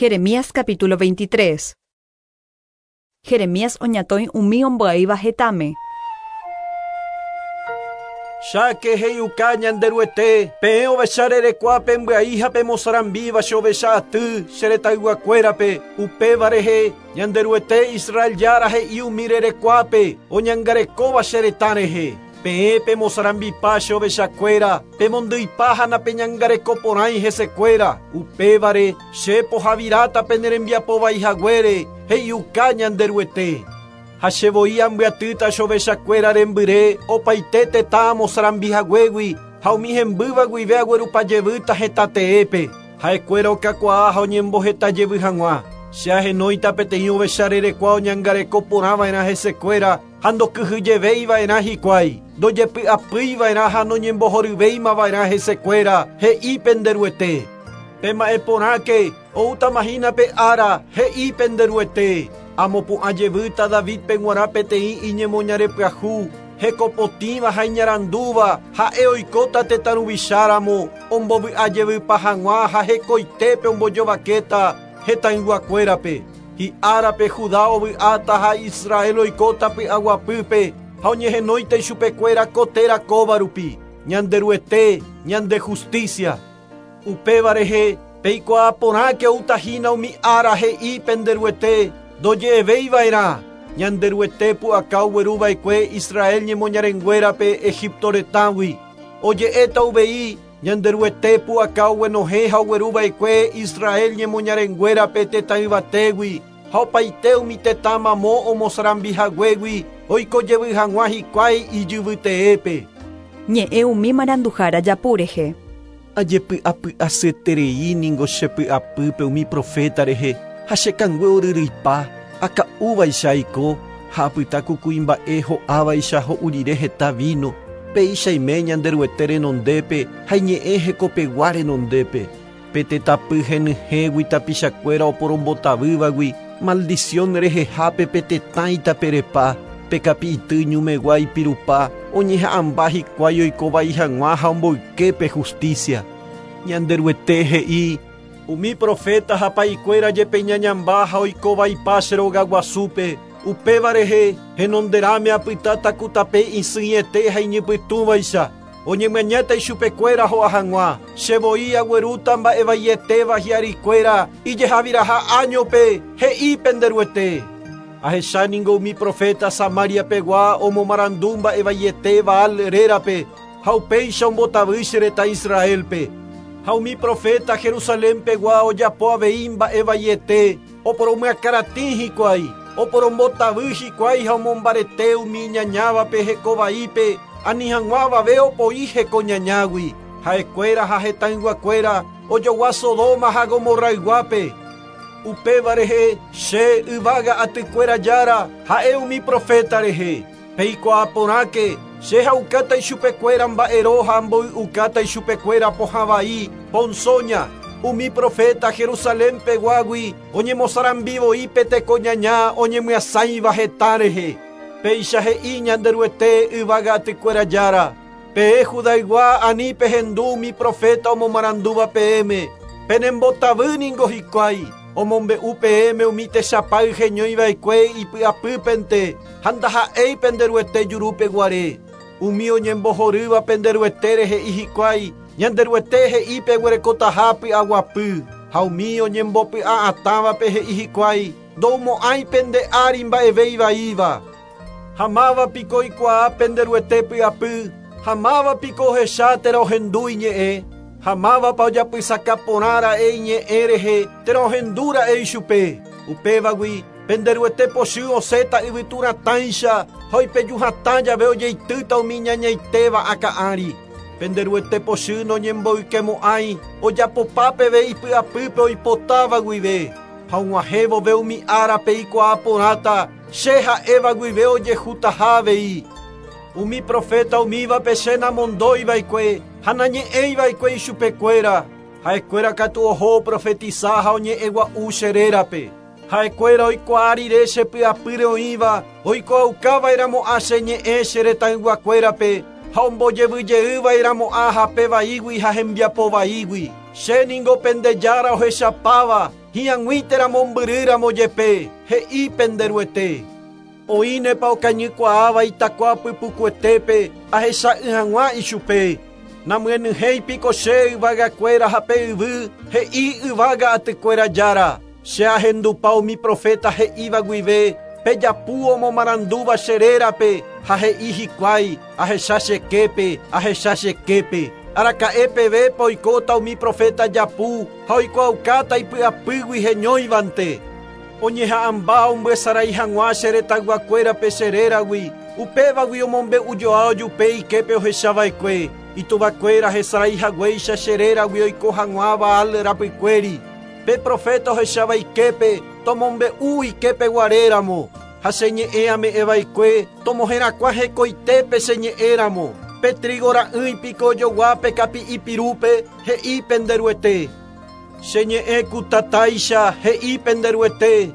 Jeremías capítulo 23. Jeremías oñatõi umi ombyaíva hetãme. Cháke he'iuka Ñanderuete, peẽ ovecha rerekua pembyai ha pemosarambíva che ovecha aty che retãyguakuérape, upéva rehe Ñanderuete Israel Jára he'i umi rerekuápe oñangarekóva che retã rehe, Peẽ pemosarambipa che ovechakuéra, pemondyipa ha napeñangareko porãi hesekuéra, upévare che pohaviráta pene rembiapo vai haguére, he'iuka Ñanderuete. Ha che voi ambyatýta che ovechakuéra rembyre opaite tetã amosarambi haguégui ha umi hembýva guive aguerupa jevýta hetã teépe, ha'ekuéra okakuaa ha oñemboheta jevy hag̃ua. Che ahenóita peteĩ ovecha rerekua oñangareko porã va'erã hesekuéra ha ndokyhyjevéi va'erã hikuái, ndojepy'apýi va'erã ha noñembohoryvéima va'erã hesekuéra, he'i pende Ruete. Pema'ẽ porãke, oútama hína pe ára, he'i pende Ruete, amopu'ã jevýta Davídpe g̃uarã peteĩ iñemoñare pyahu, hekopotĩva ha iñarandúva, ha'e oikóta tetã ruvicha ramo, ombovy'a jevypa hag̃ua ha hekoitépe ombojovakéta hetãyguakuérape. Hi'árape Judá ovy'áta ha Israel oikóta py'aguapýpe ha oñehenóita ichupekuéra ko téra kóva rupi, Ñanderuete, ñande justísia. Upéva rehe, peikuaa porãke oúta hína umi ára he'i pende Ruete, ndoje'evéi va'erã, Ñanderuete pu'aka ogueru va'ekue Israel ñemoñarenguérape Egipto retãgui. Oje'éta uvei, Ñanderuete pu'aka oguenohẽ ha ogueru va'ekue Israel ñemoñarenguérape tetã yvatégui, ha opaite umi tetã mamo omosarambi haguégui oiko jevy hag̃ua hikuái ijyvy teépe. Ñe'ẽ umi maranduhára japu rehe. Ajepy'apy'asyeterei ningo che py'apýpe umi proféta rehe, ha che kangue oryryipa, aka'úvaicha aiko, ha apyta ku kuimba'e ho'ávaicha ho'u rire heta víno, péicha aime Ñanderuete renondépe ha iñe'ẽ hekopegua renondépe. Pe tetãpy henyhẽgui tapichakuéra oporombotavývagui, maldición rehehápe pe tetã itaperepa, pe kapi'ity ñumegua ipirupa, oñeha'ãmba hikuái oiko vai hag̃ua ha omboyke pe justícia. Ñanderuete he'i, Umi proféta ha pa'ikuéra jepe iñañamba ha oiko vaipa che rogaguasúpe, upéva rehe henonderãme apytáta ku tape isỹiete ha iñypytũvaicha, oñemyañáta ichupekuéra ho'a hag̃ua. Che voi aguerúta mba'evaietéva hi'arikuéra ijehaviraha áñope, he'i pende Ruete. Ahecha ningo umi proféta Samaria pegua omomarandu mba'evaiete Baal rérape, ha upéicha ombotavy che retã Israélpe. Ha umi proféta Jerusalén pegua ojapo avei mba'evaiete, oporomyakãratĩ hikuái, oporombotavy hikuái ha omombarete umi iñañávape heko vaípe, ani hag̃ua avave opoi heko ñañágui. Ha'ekuéra ha hetãyguakuéra ojogua Sodoma ha Gomorrayguápe. Upéva rehe, che, yvága atykuéra Jára, ha'e umi proféta rehe. Peikuaa porãke, che ha'ukáta ichupekuéra mba'ero ha amboy'ukáta ichupekuéra pohã vai, ponsóña. Umi proféta Jerusalén peguágui oñemosarambi voi pe teko ñaña oñemyasãiva hetã rehe. Péicha he'i Ñanderuete yvága atykuéra Jára, Peẽ Judaygua ani pehendu umi proféta omomarandúva peẽme, penembotavy ningo hikuái, omombe'u peẽme umi techapáy heñói va'ekue ipy'apýpente ha ndaha'éi pende Ruete jurúpe guare. Umi oñembohorýva pende Ruetére he'i hikuái, Ñanderuete he'i peguerekotaha py'aguapy, ha umi oñembopy'a'atãvape he'i hikuái, Ndoumo'ãi pende ári mba'eve ivaíva. Ha máva piko oikuaa pende Ruete py'apy? Ha máva piko ohecha térã ohendu iñe'ẽ? Ha mávapa ojapysaka porã ra'e iñe'ẽ rehe térã ohendu ra'e ichupe? Upévagui, pende Ruete pochy osẽta yvytu ratãicha ha oipeju hatã jave ojeitýta umi iñañaitéva akã ári. Pende Ruete pochy noñemboykemo'ãi ojapopa peve ipy'apýpe oipotáva guive. Ha og̃uahẽ vove umi ára peikuaa porãta Che ha'éva guive ojehutaha avei. Umi proféta umívape che namondói va'ekue ha nañe'ẽi va'ekue ichupekuéra, ha'ekuéra katu oho oprofetisa ha oñe'ẽ gua'u che rérape. Ha'ekuéra oikuaa rire che py'apýre oĩva, oikuaauka va'erãmo'ã che ñe'ẽ che retãyguakuérape ha ombojevy jey va'erãmo'ã hape vaígui ha hembiapo vaígui. Che ningo pende Jára ohechapáva. Hi'ag̃ui térã mombyrýramo jepe, he'i pende Ruete. Oĩnepa okañykuaáva itakua pypukuetépe ahecha'ỹ hag̃ua ichupe. Namyenyhẽi piko che yvagakuéra ha pe yvy, he'i yvága atykuéra Jára. Che ahendupa umi proféta he'íva guive, pe japu omomarandúva che rérape, ha he'i hikuái, Ahecha che képe, ahecha che képe. Araka'e pevépa oikóta umi proféta japu ha oikuaaukáta ipy'apýgui heñóivante? Oñeha'ãmba ombyesarái hag̃ua che retãyguakuérape che réragui, upévagui omombe'ujoa ojupe iképe ohechava'ekue, ituvakuéra hesarái haguéicha che réragui oiko hag̃ua Baal rapykuéri. Pe proféta ohecháva iképe, tomombe'u iképe guaréramo, ha che ñe'ẽ ame'ẽva'ekue tomoherakuã hekoitépe che ñe'ẽramo. Pe trígo ra'ỹi piko ojogua pe kapi'i pirúpe, he'i pende Ruete. Che ñe'ẽ ku tatáicha, he'i pende Ruete,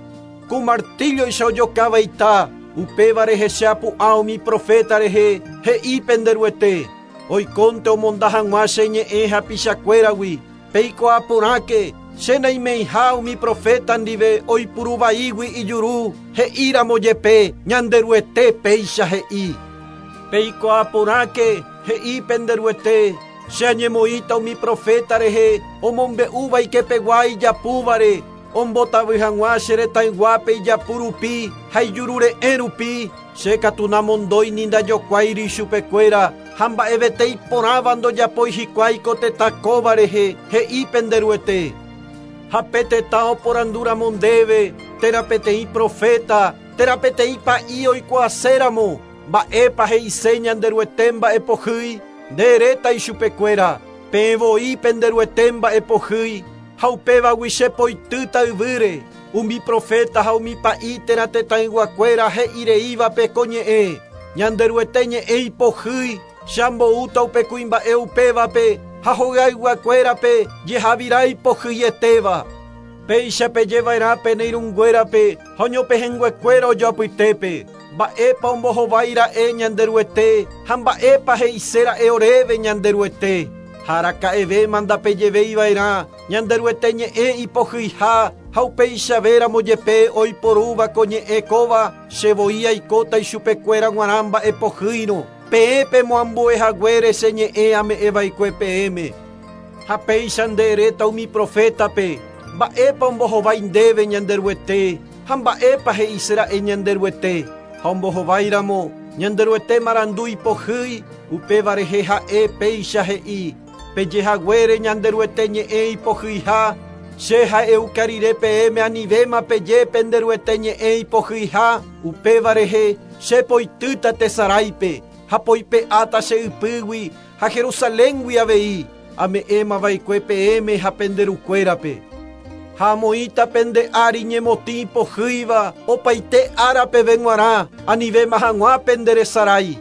ku martílloicha ojokáva ita, upéva rehe che apu'ã umi proféta rehe, he'i pende Ruete. Oikónte omonda hag̃ua che ñe'ẽ hapichakuéragui, Peikuaa porãke, che naimeiha umi proféta ndive oipuru vaígui ijuru, he'i ramo jepe, Ñanderuete péicha he'i. Peikuaa porãke, he'i pende Ruete, che añemoĩta umi proféta rehe omombe'úva ikepegua ijapúvare, ombotavy hag̃ua che retãyguápe ijapu rupi ha ijurure'ẽ rupi, Che katu namondói ni ndajokuáiri ichupekuéra, ha mba'evete iporãva ndojapói hikuái ko tetã kóva rehe, he'i pende Ruete. Ha pe tetã oporandu ramo ndéve, térã peteĩ proféta, térã peteĩ pa'i oikuaaséramo, mba'épa he'ise Ñanderuete mba'epohýi, nde eréta ichupekuéra, Peẽ voi pende Ruete mba'epohýi, ha upévagui che poitýta yvýre. Umi proféta ha umi pa'i térã tetãyguakuéra he'i reívape ko ñe'ẽ, Ñanderuete ñe'ẽ ipohýi, che amboúta upe kuimba'e upévape ha hogayguakuérape jehavira ipohyietéva. Péicha pejeva'erã pene irũnguérape ha oñopehẽnguekuéra ojoapytépe, Mba'épa ombohovái ra'e Ñanderuete ha mba'épa he'ise ra'e oréve Ñanderuete? Ha araka'evéma ndapejevéi va'erã Ñanderuete ñe'ẽ ipohyiha ha upeichavéramo jepe oiporúva ko ñe'ẽ kóva, che voi aikóta ichupekuéra g̃uarã mba'e pohýirõ, peẽ pemoambue haguére che ñe'ẽ ame'ẽva'ekue peẽme. Ha péicha nde eréta umi profétape, Mba'épa ombohovái ndéve Ñanderuete, ha mba'épa he'ise ra'e Ñanderuete? Ha ombohováiramo, Ñanderuete marandu ipohýi, upéva rehe ha'e péicha he'i, Peje haguére Ñanderuete ñe'ẽ ipohyiha, che ha'euka rire peẽme anivéma peje pende Ruete ñe'ẽ ipohyiha, upéva rehe che poitýta tesaráipe, ha poipe'áta che ypýgui ha Jerusaléngui avei, ame'ẽma va'ekue peẽme ha pende rukuérape. Ha amoĩta pende ári ñemotĩ ipohýiva opaite ára peve g̃uarã, anivéma hag̃ua pende resarái.